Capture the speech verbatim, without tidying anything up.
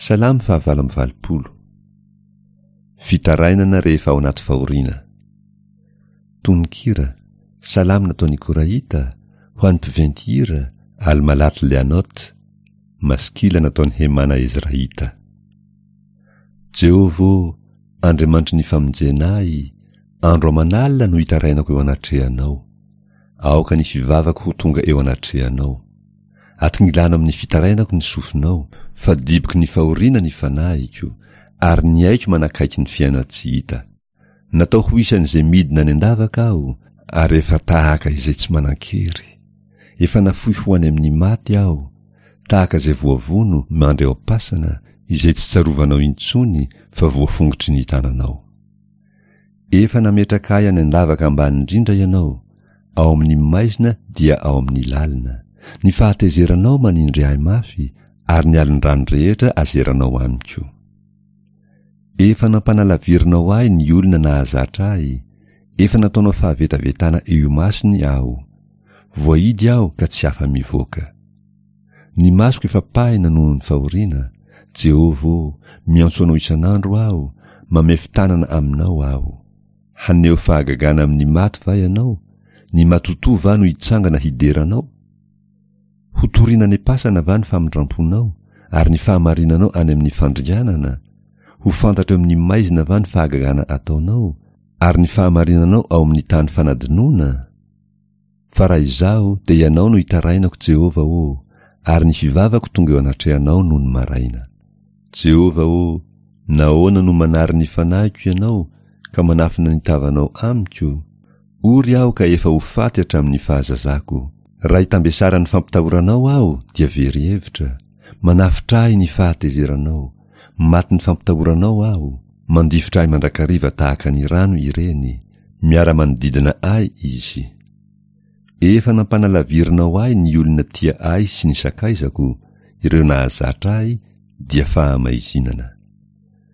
Salamo fahavalo amby valopolo. Fitarainana rehefa ao anaty fahoriana. Tononkira, Salamo nataon'i Korahita, ho an'ny mpiventy hira, Almalat Leanot, Maskila nataon'i Hemana Ezrahita. Jehovah ô, Andriamanitry ny famonjena ahy, andro aman'alina no itarainako eo anatrehanao. Aoka ny fivavako ho tonga eo anatrehanao. Atongilano amin'ny fitarainako ny sofinao, fa diboky ny fahoriana ny fanahiko, ary ny aiko manakaiky ny fiainan-tsy hita. Natao ho isan'izay midina any an-davaka aho, ary efa tahaka izay tsy manan-kery. Efa nafoy ho any amin'ny maty aho, tahaka izay voavono mandry ao am-pasana, izay tsy tsarovanao intsony fa voafongotry ny tananao. Efa nametraka ahy any an-davaka ambany indrindra ianao, ao amin'ny maizina dia ao amin'ny lalina. Ny fahatezeranao manindry ahy mafy, ary ny alon-drano rehetra azeranao amiko. Efa nampanalavirinao ahy ny olona nahazatra ahy, efa nataonao fahavetavetana eo imasony aho. Voahidy aho ka tsy afa-mivoaka. Ny masoko efa pahina noho ny fahoriana, Jehovah ô, miantso anao isan'andro aho, mamefy tanana aminao aho. Haneho fahagagana amin'ny maty va ianao? Ny matotoa va no hitsangana hidera anao? Hotorina any am-pasana va ny famindram-ponao, ary ny fahamarinanao any amin'ny fandringanana? Ho fantatra eo amin'ny maizina va ny fahagagana ataonao, ary ny fahamarinanao ao amin'ny tany fanadinoana? Fa raha izaho, dia ianao no itarainako, Jehovah ô, ary ny fivavako tonga eo anatrehanao nony maraina. Jehovah ô, nahoana no manary ny fanahiko ianao, ka manafina ny tavanao amiko? Ory aho ka efa ho faty hatramin'ny fahazazako. Raha itambesaran'ny fampitahoranao aho, dia very hevitra. Manafotra ahy ny fahatezeranao. Matin'ny fampitahoranao aho. Mandifotra ahy mandrakariva tahaka ny rano ireny. Miara-manodidina ahy izy. Efa nampanalavirinao ahy ny olona tia ahy sy ny sakaizako, ireo nahazatra ahy, dia fahamaizinana.